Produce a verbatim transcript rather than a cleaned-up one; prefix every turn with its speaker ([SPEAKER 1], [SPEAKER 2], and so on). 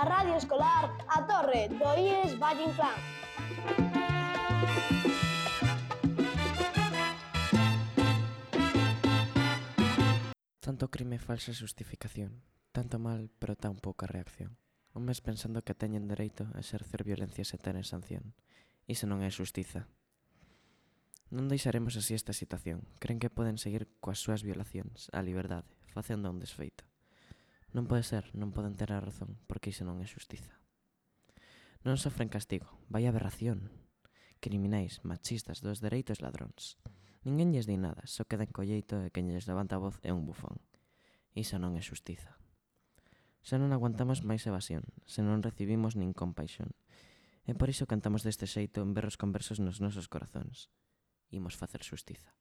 [SPEAKER 1] da Radio Escolar A Torre do I E S Valle Inclán.
[SPEAKER 2] Tanto crime e falsa xustificación, tanto mal pero tan pouca reacción. Homes pensando que teñen dereito a exercer violencia se tenen sanción. Iso non é xustiza. Non deixaremos así esta situación. Creen que poden seguir coas súas violacións á liberdade, facendo un desfeito. Non pode ser, non poden ter a razón, porque iso non é xustiza. Non sofren castigo, vai aberración. Criminais, machistas, dos dereitos ladróns. Ninguén lles di nada, só quedan colleito e quen lles levanta a voz é un bufón. Iso non é xustiza. Xa non aguantamos máis evasión, se non recibimos nin compaixón. E por iso cantamos deste xeito en berros conversos nos nosos corazóns. Imos facer xustiza.